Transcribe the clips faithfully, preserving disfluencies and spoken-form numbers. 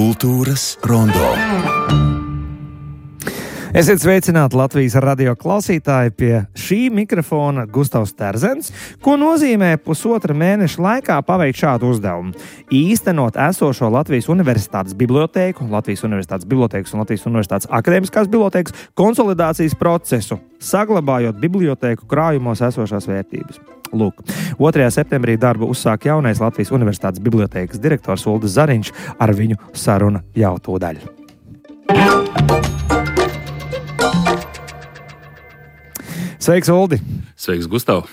Kultūras rondo. Esiet sveicināti Latvijas radio klausītāji, pie šī mikrofona Gustavs Terzens, ko nozīmē pusotra mēneša laikā paveikt šādu uzdevumu. Īstenot esošo Latvijas Universitātes bibliotēku, Latvijas Universitātes bibliotēkas un Latvijas Universitātes akadēmiskās bibliotēkas konsolidācijas procesu, saglabājot bibliotēku krājumos esošās vērtības. Lūk, otrajā septembrī darbu uzsāk jaunais Latvijas Universitātes bibliotēkas direktors Uldis Zariņš, ar viņu saruna jau tūdaļ. Sveiks, Uldi! Sveiks, Gustav!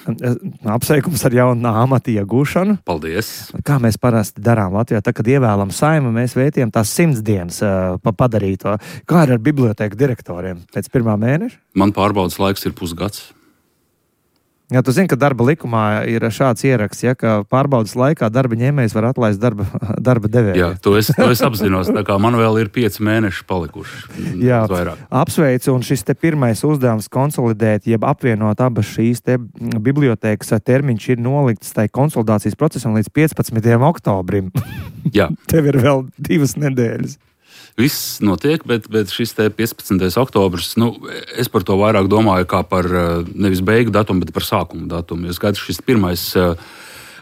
Apsveikums ar jaunu amata iegūšanu. Paldies! Kā mēs parasti darām Latvijā, tad, kad ievēlam Saimu, mēs vētījam tās simts dienas uh, pa padarīto. Kā ir ar bibliotēku direktoriem pēc pirmā mēneša? Man pārbaudas laiks ir pusgads. Jā, tu zini, ka darba likumā ir šāds ieraksts, ja, ka pārbaudas laikā darba ņēmējs var atlaist darba, darba devēju. Jā, to es, to es apzinos, tā kā man vēl ir pieci mēneši palikuši. Jā, vairāk. Apsveicu, un šis te pirmais uzdevums konsolidēt, jeb apvienot abas šīs te bibliotēkas termiņš ir nolikts tai konsolidācijas procesam līdz piecpadsmitajam oktobrim. Jā. Tev ir vēl divas nedēļas. Viss notiek, bet, bet šis te piecpadsmitais oktobris, nu, es par to vairāk domāju kā par nevis beigu datumu, bet par sākumu datumu. Jo skaidrs, šis pirmais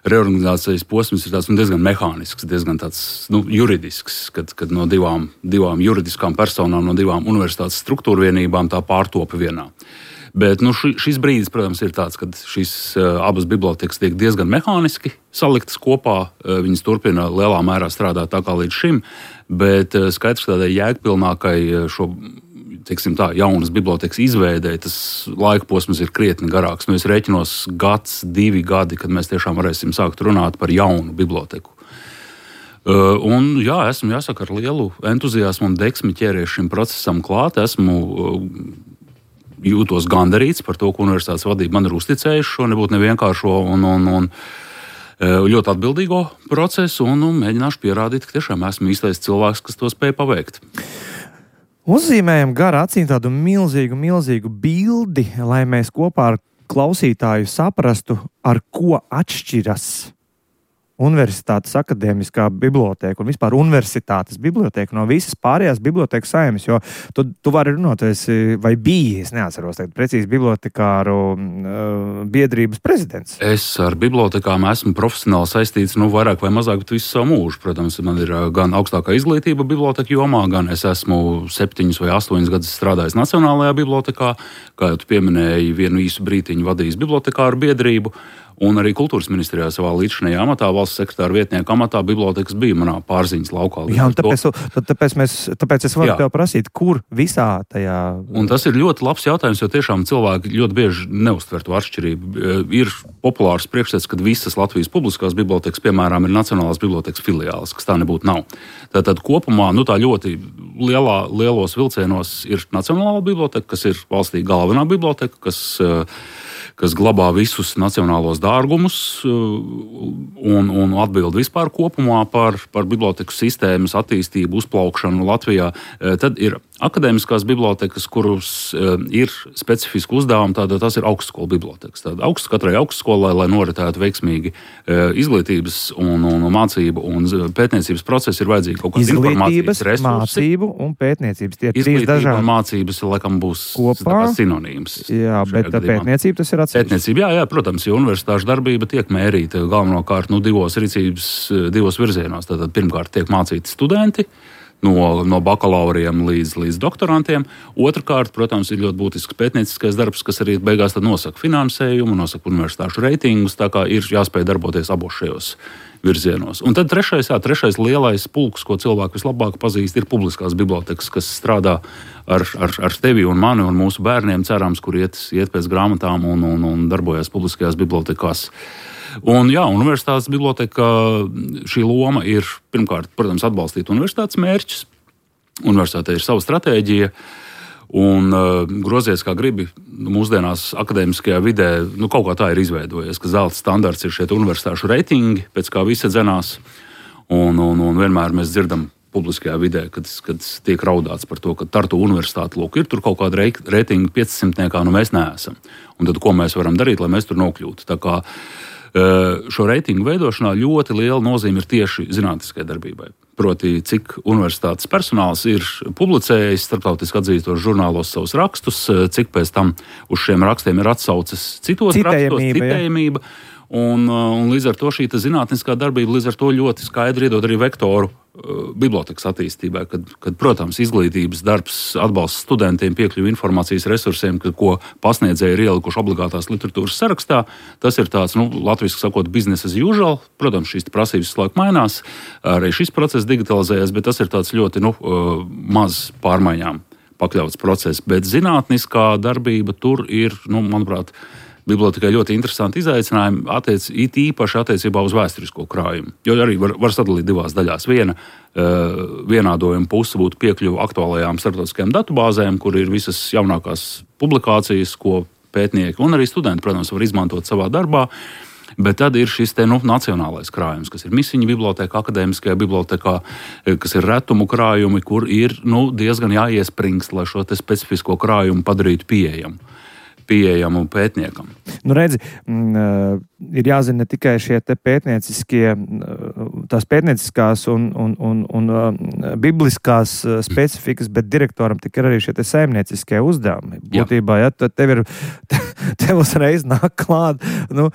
reorganizācijas posms ir tāds, nu, diezgan mehānisks, diezgan tāds, nu, juridisks, kad, kad no divām, divām juridiskām personām, no divām universitātes struktūra vienībām tā pārtopa vienā. Bet nu, ši, šis brīdis, protams, ir tāds, kad šīs uh, abas bibliotekas tiek diezgan mehāniski saliktas kopā. Uh, viņas turpina lielā mērā strādāt tā kā līdz šim, bet uh, skaidrs, ka tādai jēgpilnākai uh, šo, teiksim tā, jaunas bibliotekas izveidei, tas laika posms ir krietni garāks. Nu, es rēķinos gads, divi gadi, kad mēs tiešām varēsim sākt runāt par jaunu biblioteku. Uh, un jā, esmu, jāsaka, ar lielu entuziasmu un deksmi ķēries šim procesam klāt. Esmu uh, jūtos gandarīts par to, ka universitātes vadība man ir uzticējuši šo nebūtu nevienkāršo un, un, un ļoti atbildīgo procesu, un, un mēģināšu pierādīt, ka tiešām esmu īstais cilvēks, kas to spēj paveikt. Uzzīmējam gar acīm tādu milzīgu, milzīgu bildi, lai mēs kopā ar klausītāju saprastu, ar ko atšķiras Universitātes akadēmiskā bibliotēka un vispār universitātes bibliotēka no visas pārējās bibliotēkas saimnes, jo tu, tu vari runāt, esi, vai biji, es neatceros tagad precīzi, bibliotekāru uh, biedrības prezidents. Es ar bibliotekām esmu profesionāli saistīts, nu, vairāk vai mazāk, bet visu savu mūžu. Protams, man ir gan augstākā izglītība biblioteka jomā, gan es esmu septiņus vai astoņus gadus strādājis Nacionālajā bibliotekā, kā jau tu pieminēji, vienu īsu brītiņu vadījis bibliotekāru biedrību. Un arī kultūras ministrijā savā līdzinājā amatā, valsts sekretāra vietnieka amatā, bibliotekas bija manā pārziņas laukā. Jā, un tāpēc, tāpēc, mēs, tāpēc es varu Jā. tev prasīt, kur visā tajā... Un tas ir ļoti labs jautājums, jo tiešām cilvēki ļoti bieži neuztver to atšķirību. Ir populārs priekšstats, ka visas Latvijas publiskās bibliotekas, piemēram, ir Nacionālās bibliotekas filiāles, kas tā nebūtu nav. Tātad kopumā, nu tā ļoti lielā, lielos vilcienos ir Nacionālā biblioteka, kas ir valstī galvenā biblioteka, kas... kas glabā visus nacionālos dārgumus un, un atbild vispār kopumā par, par biblioteku sistēmas attīstību, uzplaukšanu Latvijā. Tad ir akadēmiskās bibliotekas, kuras ir specifiski uzdevumi, tātad tas ir augstskolu bibliotekas. Tātad augst, katrai augstskolai, lai noritētu veiksmīgi izglītības un, un mācību un pētniecības procesi, ir vajadzīgi kaut kādas informācijas resursi. Mācību un pētniecības. Tie ir trīs dažādi. Mācības, laikam, būs sinonīms. Jā, bet pētniecība tas ir atsevišķi. Pētniecība, jā, jā, protams, jo universitāšu darbība tiek mērīta galvenokārt nu, divos rīcības, divos virzienos. Tātad pirmkārt tiek mācīti studenti, No, no bakalauriem līdz, līdz doktorantiem. Otrakārt, protams, ir ļoti būtisks pētnieciskais darbs, kas arī beigās tad nosaka finansējumu, nosaka universitāšu reitingus, tā kā ir jāspēj darboties abos šajos virzienos. Un tad trešais, jā, trešais lielais pulks, ko cilvēki vislabāk pazīst, ir publiskās bibliotekas, kas strādā ar, ar, ar tevi un mani un mūsu bērniem, cerams, kur iet, iet pēc grāmatām un, un, un darbojas publiskajās bibliotekās. Un, jā, universitātes biblioteka šī loma ir, pirmkārt, protams, atbalstīt universitātes mērķus. Universitātei ir sava stratēģija, un uh, grozies kā gribi, mūsdienās akadēmiskajā vidē, nu, kaut kā tā ir izveidojies, ka zelta standarts ir šie universitāšu reitingi, pēc kā visi dzenās, un, un, un vienmēr mēs dzirdam publiskajā vidē, kad, kad tiek raudāts par to, ka Tartu universitāte, lūk, ir tur kaut kāda reitinga piecsimtniekā, nu mēs neesam. Un tad, ko mēs varam darīt, lai mēs tur nokļūtu? Tā kā šo reitingu veidošanā ļoti liela nozīme ir tieši zinātniskai darbībai. proti, cik universitātes personāls ir publicējis starptautiski atzītos žurnālos savus rakstus, cik pēc tam uz šiem rakstiem ir atsauces citos rakstos, citējamība. Un, un līdz ar to šī zinātniskā darbība līdz ar to ļoti skaidri iedod arī vektoru uh, bibliotekas attīstībai, kad, kad, protams, izglītības darbs atbalsta studentiem piekļuvi informācijas resursiem, kad, ko pasniedzēji ir ielikuši obligātās literatūras sarakstā. Tas ir tāds, nu, latviski sakot, business as usual. Protams, šīs prasības visu laiku mainās, arī šis process digitalizējas, bet tas ir tāds ļoti nu, uh, maz pārmaiņām pakļauts process. Bet zinātniskā darbība tur ir, nu, manuprāt, bibliotekai ļoti interesanti izaicinājumi, attiec, it īpaši attiecībā uz vēsturisko krājumu. Jo arī var, var sadalīt divās daļās. Viena uh, vienādojuma puse būtu piekļuva aktuālajām starptautiskajām datubāzēm, kur ir visas jaunākās publikācijas, ko pētnieki un arī studenti, protams, var izmantot savā darbā. Bet tad ir šis te, nu, nacionālais krājums, kas ir misiņu biblioteka, akadēmiskajā bibliotekā, kas ir retumu krājumi, kur ir nu, diezgan jāiespringst, lai šo te specifisko krājumu padarītu pieejamu. pieejamu pētniekam. Nu, redzi, m, ir jāzina ne tikai šie te pētnieciskie, tās pētnieciskās un, un, un, un bibliskās specifikas, bet direktoram tik ir arī šie te saimnieciskie uzdevumi. Būtībā, ja, tad tev ir, tev uzreiz nāk klāt, nu,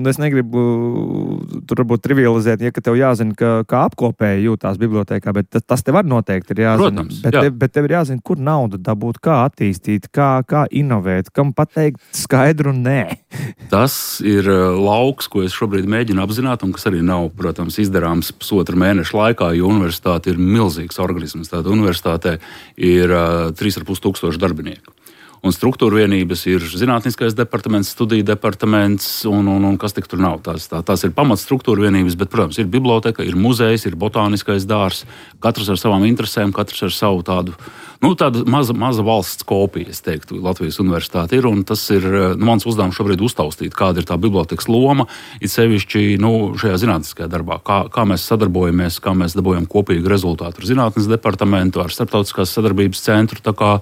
es negribu tur varbūt trivializēt, ja, ka tev jāzina, ka, kā apkopēji jūtās bibliotekā, bet tas, tas tev var noteikti ir jāzina. Protams, bet, jā. tev, bet tev ir jāzina, kur naudu dabūt, kā attīstīt, kā, kā inovēt, kam pateikt skaidru nē. Tas ir lauks, ko es šobrīd mēģinu apzināt, un kas arī nav, protams, izdarāms pusotra mēneša laikā, jo universitāte ir milzīgs organisms. Tātad universitātē ir uh, trīs ar pus tūkstoši darbinieku. Un struktūra vienības ir zinātniskais departaments, studiju departaments un, un, un kas tik tur nav. Tās, tā, tās ir pamats struktūra vienības, bet, protams, ir biblioteka, ir muzejs, ir botāniskais dārs. Katrs ar savām interesēm, katrs ar savu tādu, nu, tādu maza, maza valsts kopiju, es teiktu, Latvijas universitāte ir. Un tas ir nu, mans uzdevums šobrīd uztaustīt, kāda ir tā bibliotekas loma, it sevišķi nu, šajā zinātniskajā darbā. Kā, kā mēs sadarbojamies, kā mēs dabūjam kopīgu rezultātu ar zinātnes departamentu, ar starptautiskās sadarbības centru. Tā kā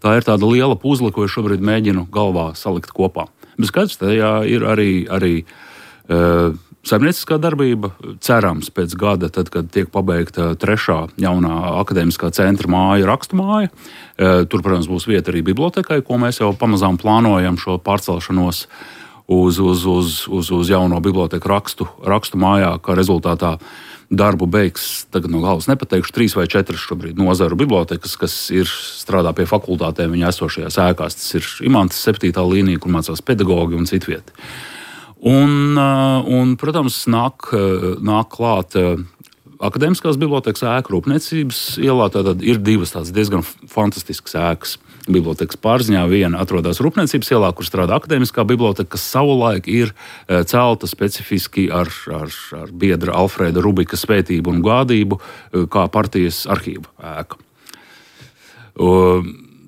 Tā ir tāda liela puzle, ko es šobrīd mēģinu galvā salikt kopā. Bet skaidrs, tajā ir arī, arī uh, saimnieciskā darbība. Cerams, pēc gada, tad, kad tiek pabeigta trešā jaunā akadēmiskā centra māja, rakstu māja, uh, tur, protams, būs vieta arī bibliotekai, ko mēs jau pamazām plānojam šo pārcelšanos uz, uz, uz, uz, uz jauno biblioteku rakstu, rakstu mājā, kā rezultātā darbu beigs, tagad no galvas nepateikšu, trīs vai četras šobrīd nozaru bibliotekas, kas ir strādā pie fakultātēm viņa esošajās ēkās. Tas ir Imantas septītā līnija, kur mācās pedagogi un citvieti. Un, un, protams, nāk, nāk klāt akadēmiskās bibliotekas ēka Rūpniecības ielā. Tātad ir divas tādas diezgan fantastiskas ēkas bibliotekas pārziņā. Viena atrodas Rūpniecības ielā, kur strādā akadēmiskā biblioteka, kas savulaik ir celta specifiski ar, ar, ar biedra Alfrēda Rubika svētību un gādību, kā partijas arhīva ēka.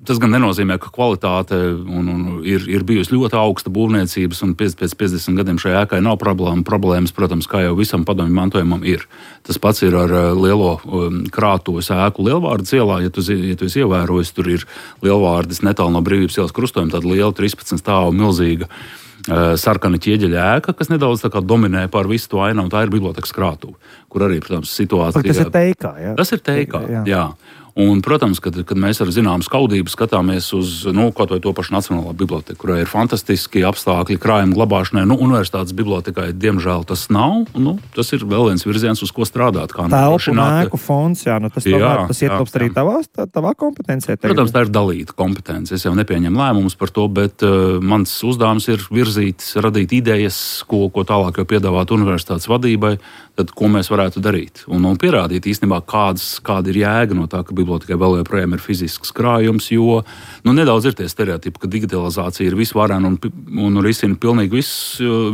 Tas gan nenozīmē, ka kvalitāte un, un ir, ir bijusi ļoti augsta būvniecības, un pēc, pēc piecdesmit gadiem šai ēkai nav problēma. Problēmas, protams, kā jau visam padomju mantojumam ir. Tas pats ir ar lielo um, krātuves ēku Lielvārdas ielā. Ja tu, ja tu esi ievērojis, tur ir Lielvārdas netālu no Brīvības ielas krustojuma, tāda liela trīspadsmit stāvu milzīga uh, sarkana ķieģeļa ēka, kas nedaudz tā kā dominē pār visu to ainu, un tā ir bibliotekas krātuve, kur arī, protams, situācija... Tas ir teikā, jā? Tas ir teikā, jā. jā. Un, protams, kad, kad mēs ar zināmu skaudību skatāmies uz nu, kaut vai to pašu Nacionālo biblioteku, kurai ir fantastiski apstākļi krājuma glabāšanai, nu, universitātes bibliotekai, diemžēl, tas nav. Nu, tas ir vēl viens virziens, uz ko strādāt. Telpu un ēku fonds, jā, nu, tas, jā, tomēr, tas ietilpst arī tavā, tavā kompetencijā. Protams, tā ir dalīta kompetence. Es jau nepieņemu lēmumus par to, bet uh, mans uzdevums ir virzīt, radīt idejas, ko, ko tālāk jau piedāvāt universitātes vadībai, tad ko mēs varētu darīt. Un, un pierādīt īstenībā, kādas, kāda ir jēga no tā, ka bibliotekai vēl joprojām ir fizisks krājums, jo nu, nedaudz ir tie stereotipi, ka digitalizācija ir visvarena un, un risina pilnīgi vis,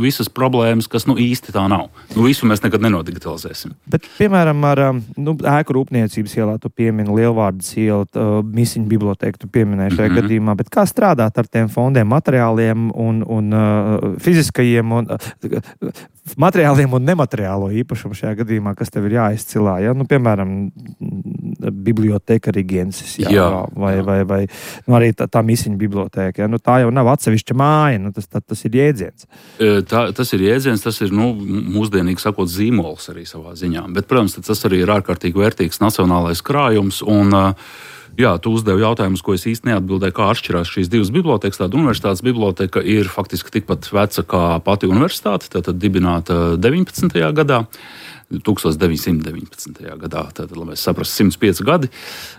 visas problēmas, kas nu, īsti tā nav. Nu, visu mēs nekad nenodigitalizēsim. Bet, piemēram, ar nu, ēku Rūpniecības ielā tu piemini Lielvārdas ielu, misiņu biblioteku tu pieminēji šajā mm-hmm. gadījumā, bet kā strādāt ar tiem fondiem, materiāliem un, un uh, fiziskajiem un uh, materiāliem un nemateriālo īpašumu šajā gadījumā, kas tev ir jāizcilā? Ja? Nu, piemēram, biblioteka rigensis, jā, jā, vai, jā. vai, vai nu, arī tā, tā misiņa biblioteka. Ja? Nu, tā jau nav atsevišķa māja, nu, tas, tā, tas ir jēdziens. Tā, tas ir jēdziens, tas ir nu, mūsdienīgi sakot zīmols arī savā ziņā. Bet, protams, tas arī ir ārkārtīgi vērtīgs nacionālais krājums. Un, jā, tu uzdevi jautājumus, ko es īsti neatbildēju, kā atšķirās šīs divas bibliotekas. Tāda universitātes biblioteka ir faktiski tikpat veca kā pati universitāte, tātad dibināta deviņpadsmitajā gadā. tūkstoš deviņsimt deviņpadsmitajā gadā. Tātad, lai mēs saprastu, simts pieci gadi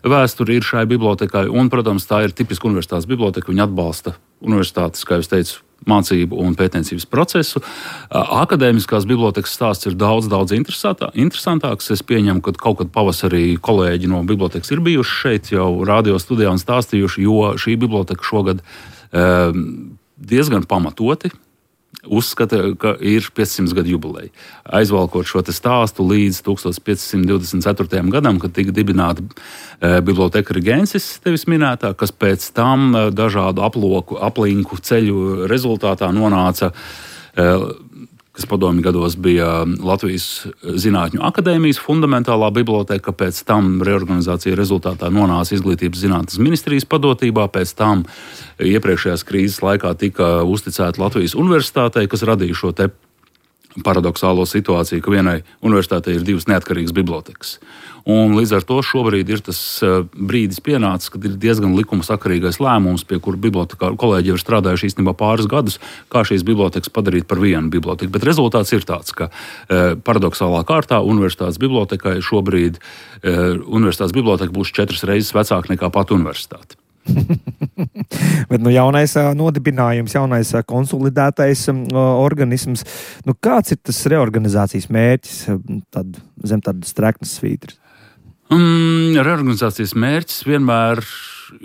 vēsture ir šai bibliotekai. Un, protams, tā ir tipiska universitātes biblioteka. Viņa atbalsta universitātes, kā jau teicu, mācību un pētniecības procesu. Akadēmiskās bibliotekas stāsts ir daudz, daudz interesantāks. Es pieņemu, ka kaut kad pavasarī kolēģi no bibliotekas ir bijuši šeit jau radio studijā un stāstījuši, jo šī biblioteka šogad diezgan pamatoti uzskata, ka ir piecsimt gadu jubileja. Aizvalkot šo stāstu līdz tūkstoš piecsimt divdesmit ceturtajam gadam, kad tika dibināta e, biblioteka rigensis, tevis minētā, kas pēc tam e, dažādu aploku, aplinku ceļu rezultātā nonāca, e, kas padomju gados bija Latvijas Zinātņu akadēmijas fundamentālā biblioteka, pēc tam reorganizācija rezultātā nonāca Izglītības zinātnes ministrijas padotībā, pēc tam iepriekšējās krīzes laikā tika uzticēta Latvijas universitātei, kas radīja šo te paradoxālo situāciju, ka vienai universitātei ir divas neatkarīgas bibliotekas. Un līdz ar to šobrīd ir tas brīdis pienācis, kad ir diezgan likumasakarīgais lēmums, pie kura bibliotekā kolēģi jau ir strādājuši īstenībā pāris gadus, kā šīs bibliotekas padarīt par vienu biblioteku. Bet rezultāts ir tāds, ka e, paradoxālā kārtā universitātes bibliotekai šobrīd e, universitātes biblioteka būs četras reizes vecāka nekā pat universitāte. Bet nu, jaunais nodibinājums, jaunais konsolidētais organisms, nu, kāds ir tas reorganizācijas mērķis tad, zem tādas streknas svītras? Um, reorganizācijas mērķis vienmēr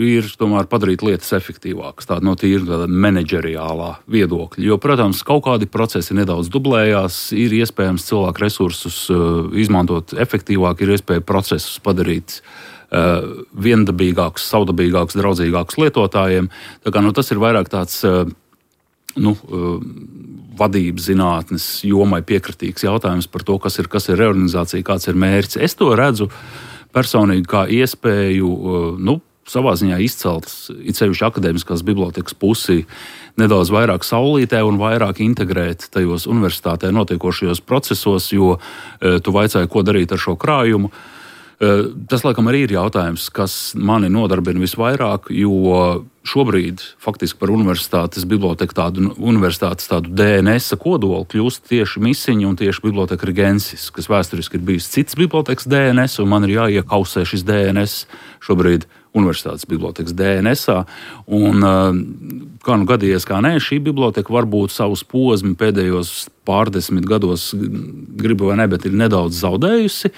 ir tomēr padarīt lietas efektīvākas, tāda no tīra menedžeriālā viedokļa. Jo, protams, kaut kādi procesi nedaudz dublējās, ir iespējams cilvēku resursus uh, izmantot efektīvāk, ir iespēja procesus padarīt Uh, viendabīgāks, savdabīgāks, draudzīgāks lietotājiem. Tā kā, nu, tas ir vairāk tāds uh, nu, uh, vadības zinātnes jomai piekritīgs jautājums par to, kas ir, kas ir reorganizācija, kāds ir mērķis. Es to redzu personīgi kā iespēju uh, nu, savā ziņā izcelt, it sevišķi akadēmiskās bibliotekas pusi, nedaudz vairāk saulītē un vairāk integrēt tajos universitātē notiekošajos procesos, jo uh, tu vaicāji, ko darīt ar šo krājumu. Tas, laikam, arī ir jautājums, kas mani nodarbina visvairāk, jo šobrīd faktiski par universitātes biblioteku tādu, universitātes tādu D N S kodolu kļūst tieši misiņa un tieši biblioteka rigensis, kas vēsturiski ir bijis cits bibliotekas D N S, un man ir jāiekausē šis D N S šobrīd universitātes bibliotekas D N S-ā. Un, kā nu gadījies, kā nē, šī biblioteka varbūt savus posmu pēdējos pārdesmit gados, gribu vai ne, bet ir nedaudz zaudējusi.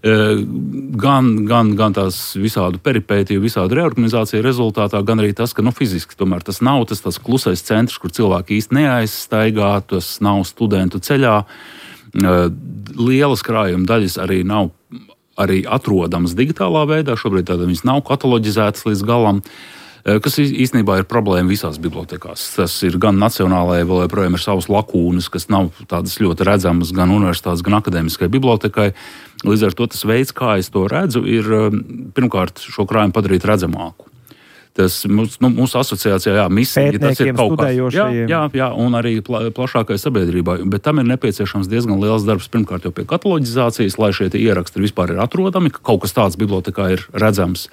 Gan, gan, gan tās visādu peripētiju, visādu reorganizāciju rezultātā, gan arī tas, ka nu, fiziski tomēr tas nav tas, tas klusais centrs, kur cilvēki īsti neaizstaigā, tas nav studentu ceļā. Lielas krājuma daļas arī nav arī atrodamas digitālā veidā, šobrīd tāda viņas nav kataloģizētas līdz galam, kas īstenībā ir problēma visās bibliotekās. Tas ir gan nacionālajai, vēl joprojām ir savas lakūnas, kas nav tādas ļoti redzamas gan universitātes, gan akadēmiskai bibliotekai. Līdz ar to tas veids, kā es to redzu, ir pirmkārt šo krājumu padarīt redzamāku. Tas mūsu, nu, mūsu asociācijā, jā, misija, tas ir kaut kas, jā, jā, jā, un arī pla, plašākai sabiedrībai, bet tam ir nepieciešams diezgan liels darbs, pirmkārt jau pie kataloģizācijas, lai šie ieraksti vispār ir atrodami, ka kaut kas tāds bibliotekā ir redzams,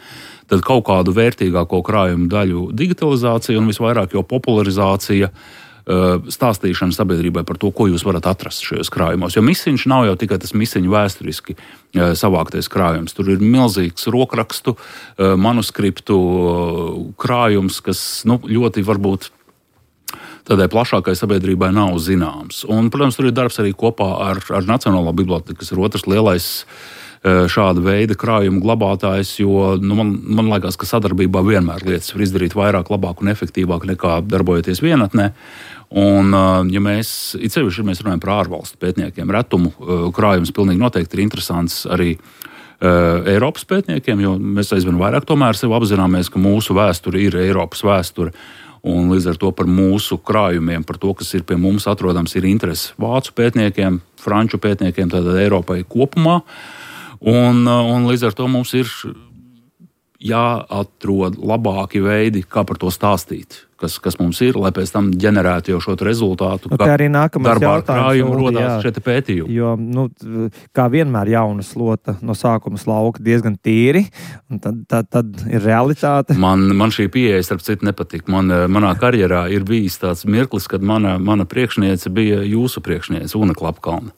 tad kaut kādu vērtīgāko krājumu daļu digitalizācija un visvairāk jau popularizācija, stāstīšana sabiedrībai par to, ko jūs varat atrast šajos krājumos. Jo misiņš nav jau tikai tas misiņu vēsturiski savāktais krājums. Tur ir milzīgs rokrakstu, manuskriptu krājums, kas nu, ļoti varbūt tādai plašākai sabiedrībai nav zināms. Un, protams, tur ir darbs arī kopā ar, ar Nacionālo biblioteku, kas ir otrs lielais šāda veida krājuma glabātājs, jo nu, man, man liekas, ka sadarbībā vienmēr lietas var izdarīt vairāk, labāk un efektīvāk nekā darbojoties vienatnē. Un, ja mēs, it sevišķi, ja mēs runājam par ārvalstu pētniekiem, retumu krājums pilnīgi noteikti ir interesants arī uh, Eiropas pētniekiem, jo mēs aizvien vairāk tomēr sev apzināmies, ka mūsu vēsture ir Eiropas vēsture. Un līdz ar to par mūsu krājumiem, par to, kas ir pie mums atrodams, ir interese vācu pētniekiem, franču pētniekiem, tātad Eiropai kopumā. Un, un līdz ar to mums ir jāatrod labāki veidi, kā par to stāstīt, kas, kas mums ir, lai pēc tam ģenerētu jau šo rezultātu. Nu, kā arī nākamais jautājums rodās šeit pētījumi. Jo, nu, kā vienmēr jauna slota no sākuma slauka diezgan tīri, un tad, tad, tad ir realitāte. Man, man šī pieeja, starp citu, nepatīk. Man, manā karjerā ir bijis tāds mirklis, kad mana, mana priekšniece bija jūsu priekšniece, Una Klapkalna.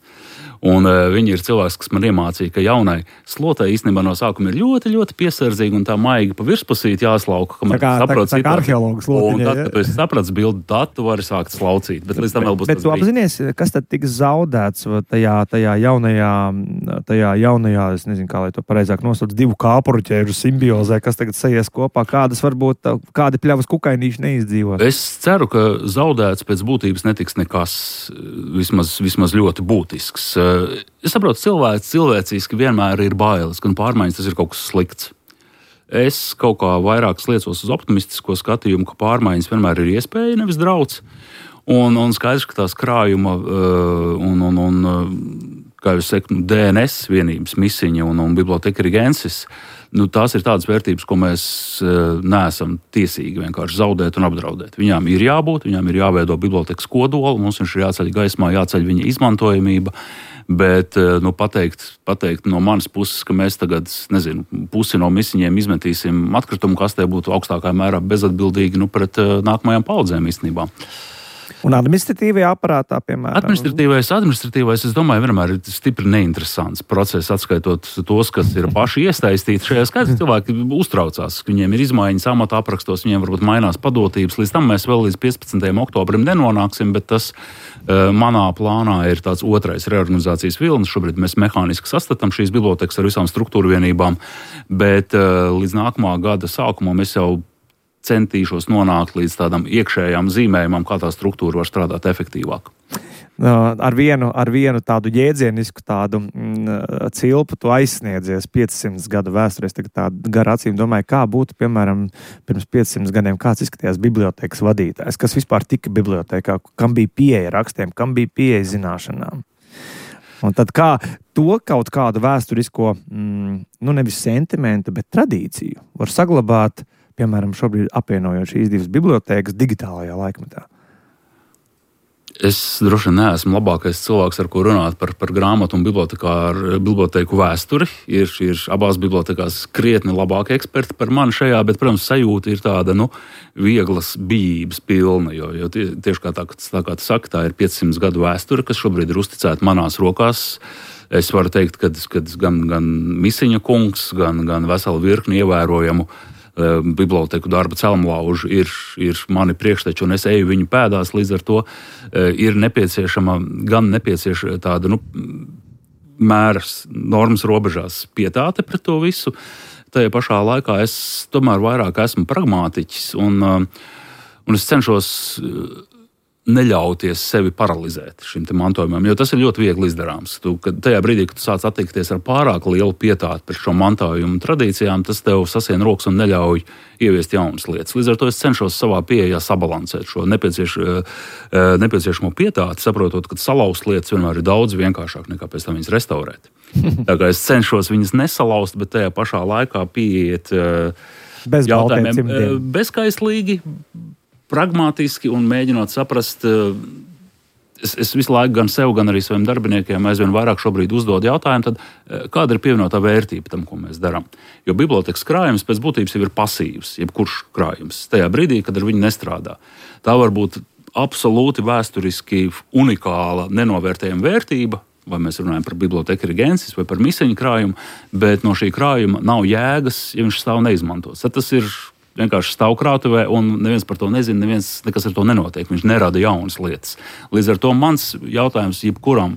Un uh, viņi ir cilvēks, kas man iemācīja, ka jaunai slotai īstenībā no sākuma ir ļoti, ļoti piesardzīga un tā maigi pa virspusīt jāslauka. Tā kā, tā, tā kā arheologs slotiņa. Un tad, kad tu esi sapratis bildi, tad tu vari sākt slaucīt. Bet līdz tam vēl būs bet, bet tu apzinies, kas tad tiks zaudēts tajā, tajā jaunajā, tajā jaunajā, es nezinu, kā lai to pareizāk nosauc, divu kāpuru ķēžu simbiozē, kas tagad sajies kopā, kādas varbūt, kādi pļavas kukainīši neizdzīvos? Es ceru, ka zaudēts pēc būtības netiks nekas vismaz, vismaz ļoti būtisks. Es saprotu, cilvēks cilvēciski vienmēr ir bailes, ka pārmaiņas tas ir kaut kas slikts. Es kaut kā vairāk sliecos uz optimistisko skatījumu, ka pārmaiņas vienmēr ir iespēja, nevis drauds. Un, un skaidrs, ka tās krājuma un, un, un kā jau saku, D N S vienības misiņa un, un biblioteka rigensis, nu, tās ir tādas vērtības, ko mēs neesam tiesīgi vienkārši zaudēt un apdraudēt. Viņām ir jābūt, viņām ir jāveido bibliotekas kodolu, mums viņš ir jāceļ gaismā, jāceļ viņa izmantojamība. Bet nu, pateikt, pateikt no manas puses, ka mēs tagad, nezinu, pusi no misiņiem izmetīsim atkritumu kastē, būtu augstākā mērā bezatbildīgi nu, pret nākamajām paudzēm īstenībā. Un administratīvajā aparātā, piemēram? Administratīvais, administratīvais, es domāju, vienmēr ir stipri neinteresants process, atskaitot tos, kas ir paši iesaistīti šajā skaitā. Cilvēki uztraucās, ka viņiem ir izmaiņas amata aprakstos, viņiem varbūt mainās padotības. Līdz tam mēs vēl līdz piecpadsmitajam oktobrim nenonāksim, bet tas uh, manā plānā ir tāds otrais reorganizācijas vilnis. Šobrīd mēs mehāniski sastatām šīs bibliotekas ar visām struktūru vienībām, bet uh, līdz nākamā gada sākumam es jau centīšos nonākt līdz tādam iekšējām zīmējumam, kā tā struktūra var strādāt efektīvāk. Ar vienu, ar vienu tādu jēdzienisku tādu mm, cilpu tu aizsniedzies piecsimt gadu vēsturē. Es tagad tādu garu acīm domāju, kā būtu, piemēram, pirms piecsimt gadiem, kāds izskatījās bibliotekas vadītājs, kas vispār tika bibliotekā, kam bija pieeja rakstiem, kam bija pieeja zināšanām. Un tad kā to kaut kādu vēsturisko, mm, nu nevis sentimentu, bet tradīciju var saglabāt, piemēram, šobrīd apvienojot šīs divas bibliotēkas digitālajā laikmetā? Es droši vien neesmu labākais cilvēks, ar ko runāt par, par grāmatu un bibliotēku vēsturi. Ir, ir abās bibliotekās krietni labāki eksperti par mani šajā, bet, protams, sajūta ir tāda, nu, vieglas bijības pilna, jo, jo tie, tieši kā tā, tā kā tu saki, tā ir piecsimt gadu vēsture, kas šobrīd ir uzticēta manās rokās. Es varu teikt, ka gan, gan Misiņa kungs, gan, gan vesela virkni ievērojamu biblioteku darba celmlauži ir, ir mani priekšteči, un es eju viņu pēdās, līdz ar to ir nepieciešama gan nepieciešama tāda, nu, mēras normas robežās pietāte pret to visu. Tajā pašā laikā es tomēr vairāk esmu pragmātiķis, un, un es cenšos neļauties sevi paralizēt šim te mantojumam, jo tas ir ļoti viegli izdarāms. Tu, kad tajā brīdī, kad tu sāc attiekties ar pārāk lielu pietāti pret šo mantojumu tradīcijām, tas tev sasien rokas un neļauj ieviest jaunas lietas. Līdz ar to es cenšos savā pieejā sabalansēt šo nepiecieš, nepieciešamo pietāti, saprotot, ka salauzt lietas vienmēr ir daudz vienkāršāk nekā pēc tam viņas restaurēt. Tā kā es cenšos viņas nesalauzt, bet tajā pašā laikā pieiet bez jautājumiem bezkaislīgi, pragmātiski un mēģinot saprast, es, es visu laiku gan sev, gan arī saviem darbiniekiem aizvien vairāk šobrīd uzdod jautājumu, tad kāda ir pievienotā vērtība tam, ko mēs darām. Jo bibliotekas krājums pēc būtības jau ir pasīvs, jebkurš krājums, tajā brīdī, kad ar viņu nestrādā. Tā var būt absolūti vēsturiski unikāla, nenovērtējama vērtība, vai mēs runājam par biblioteku rigensis vai par misiņu krājumu, bet no šī krājuma nav jēgas, ja viņš stāv neizmantots. Tad tas ir vienkārši stāv krātuvē, un neviens par to nezina, neviens nekas ar to nenotiek. Viņš nerada jaunas lietas. Līdz ar to mans jautājums jebkuram,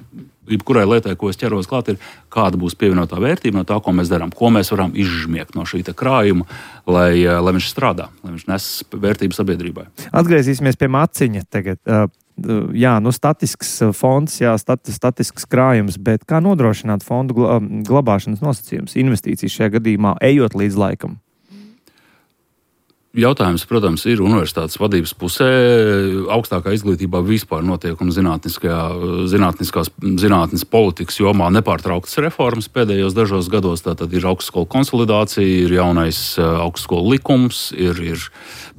jebkurai lietai, ko es ķeros klāt, ir, kāda būs pievienotā vērtība no tā, ko mēs darām, ko mēs varam izžmiegt no šī krājuma, lai, lai viņš strādā, lai viņš nes vērtību sabiedrībai. Atgriezīsimies pie maciņa tagad. Jā, nu statisks fonds, jā, stati, statisks krājums, bet kā nodrošināt fondu glabāšanas nosacījumus, investīcijas šajā gadījumā, ejot līdz laikam? Jautājums, protams, ir universitātes vadības pusē. Augstākā izglītībā vispār notiek un zinātniskās zinātnes politikas jomā nepārtrauktas reformas pēdējos dažos gados. Tātad ir augstskolu konsolidācija, ir jaunais augstskolu likums, ir, ir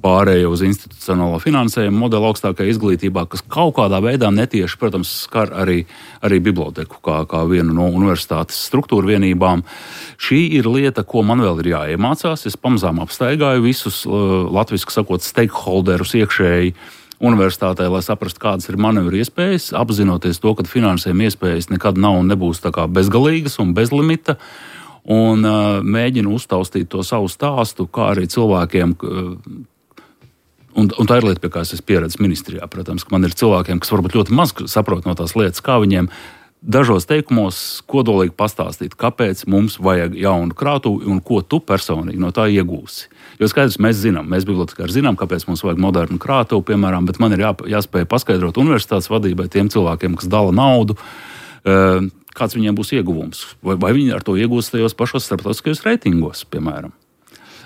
pārēja uz institucionālo finansējumu modeli augstākajā izglītībā, kas kaut kādā veidā netieši, protams, skar arī, arī biblioteku kā, kā vienu no universitātes struktūra vienībām. Šī ir lieta, ko man vēl ir jāiemācās. Es pamazām apstaigāju visus latviski sakot, stakeholderus iekšēji universitātē, lai saprastu, kādas ir manevru iespējas, apzinoties to, ka finansējuma iespējas nekad nav un nebūs tā kā bezgalīgas un bez limita, un uh, mēģinu uztaustīt to savu stāstu, kā arī cilvēkiem, uh, un, un tā ir lieta, pie kā es esmu pieredzis ministrijā, protams, ka man ir cilvēkiem, kas varbūt ļoti maz saprot no tās lietas, kā viņiem dažos teikumos kodolīgi pastāstīt, kāpēc mums vajag jaunu krātuvi un ko tu personīgi no tā iegūsi. Jo skaidrs, mēs zinām, mēs bibliotekāri zinām, kāpēc mums vajag modernu krātuvi, piemēram, bet man ir jā, jāspēj paskaidrot universitātes vadībai, tiem cilvēkiem, kas dala naudu, kāds viņiem būs ieguvums. Vai, vai viņi ar to iegūs tajos pašos starptautiskajos reitingos, piemēram.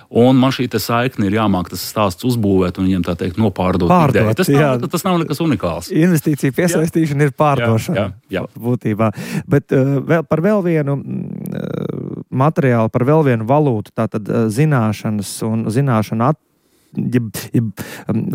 Un man šī saikne ir jāmāk tas stāsts uzbūvēt un viņiem tā teikt nopārdot ideju. Tas nav, tas nav nekas unikāls. Investīcija piesaistīšana jā. Ir pārdošana. Jā, jā, jā. Būtībā. Bet uh, vēl, par vēl vienu uh, materiālu, par vēl vienu valūtu, tātad uh, zināšanas un zināšanu at Ja, ja,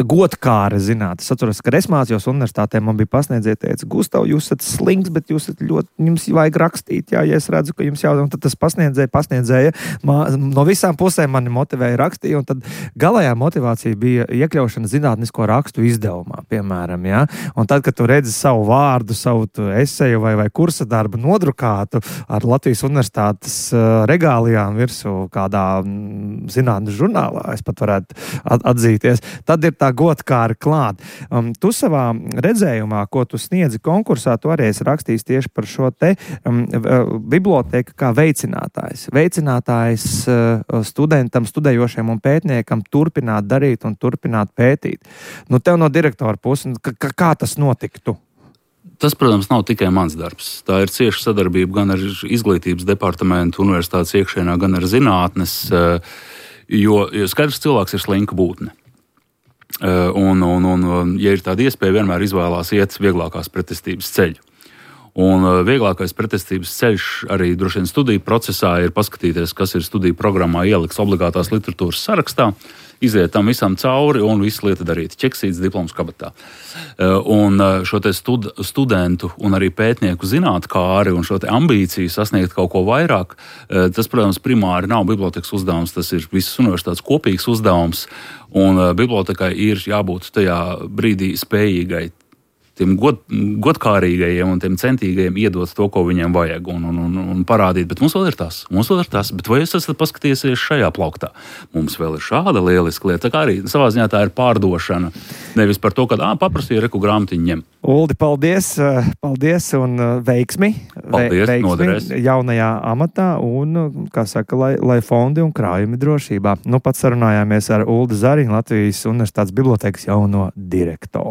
godkāra zinātne. Es atceros, ka es mācījos universitātē, man bija pasniedzēja, teica, Gustav, jūs esat slings, bet jūs esat ļoti, jums vajag rakstīt, jā, ja es redzu, ka jums jau, un tad tas pasniedzēja, pasniedzēja, mā, no visām pusēm mani motivēja rakstīt, un tad galējā motivācija bija iekļaušana zinātnisko rakstu izdevumā, piemēram, jā, un tad, kad tu redzi savu vārdu, savu eseju vai, vai kursa darbu nodrukātu ar Latvijas universitātes uh, regālijām virsū kādā mm, zinātnes žurnālā, es pat varētu atzīties, tad ir tā godkāra klāt. Um, tu savā redzējumā, ko tu sniedzi konkursā, tu arī esi rakstījis tieši par šo te um, biblioteka kā veicinātājs. Veicinātājs uh, studentam, studējošiem un pētniekam turpināt darīt un turpināt pētīt. Nu, tev no direktora puses, kā, kā tas notiktu? Tas, protams, nav tikai mans darbs. Tā ir cieša sadarbība gan ar izglītības departamentu, universitātes iekšēnā, gan ar zinātnes. Uh, Jo, jo skaidrs, cilvēks ir slinka būtne. Un, un, un, ja ir tāda iespēja, vienmēr izvēlās iet vieglākās pretestības ceļu. Un vieglākais pretestības ceļš arī droši vien studiju procesā ir paskatīties, kas ir studiju programmā ielikts obligātās literatūras sarakstā, iziet tam visam cauri un visu lietu darīt. Ķeksīts diploms kabatā. Un šo te stud, studentu un arī pētnieku zinātkāri un šo te ambīciju sasniegt kaut ko vairāk, tas, protams, primāri nav bibliotekas uzdevums, tas ir visas universitātes kopīgs uzdevums. Un bibliotekai ir jābūt tajā brīdī spējīgai tiem god, godkārīgajiem un tiem centīgajiem iedot to, ko viņiem vajag un, un, un, un parādīt. Bet mums vēl ir tas, mums vēl ir tas. Bet vai jūs esat paskatījušies šajā plauktā? Mums vēl ir šāda lieliska lieta. Tā kā arī savā ziņā tā ir pārdošana. Nevis par to, ka ā, paprastīja reku grāmatiņu ņem. Uldi, paldies, paldies un veiksmi. Paldies, veiksmi noderēs. Jaunajā amatā un, kā saka, lai, lai fondi un krājumi drošībā. Nu, pat sarunājāmies ar Uldi Zariņu, Latvijas Universitātes bibliotekas jauno direktoru.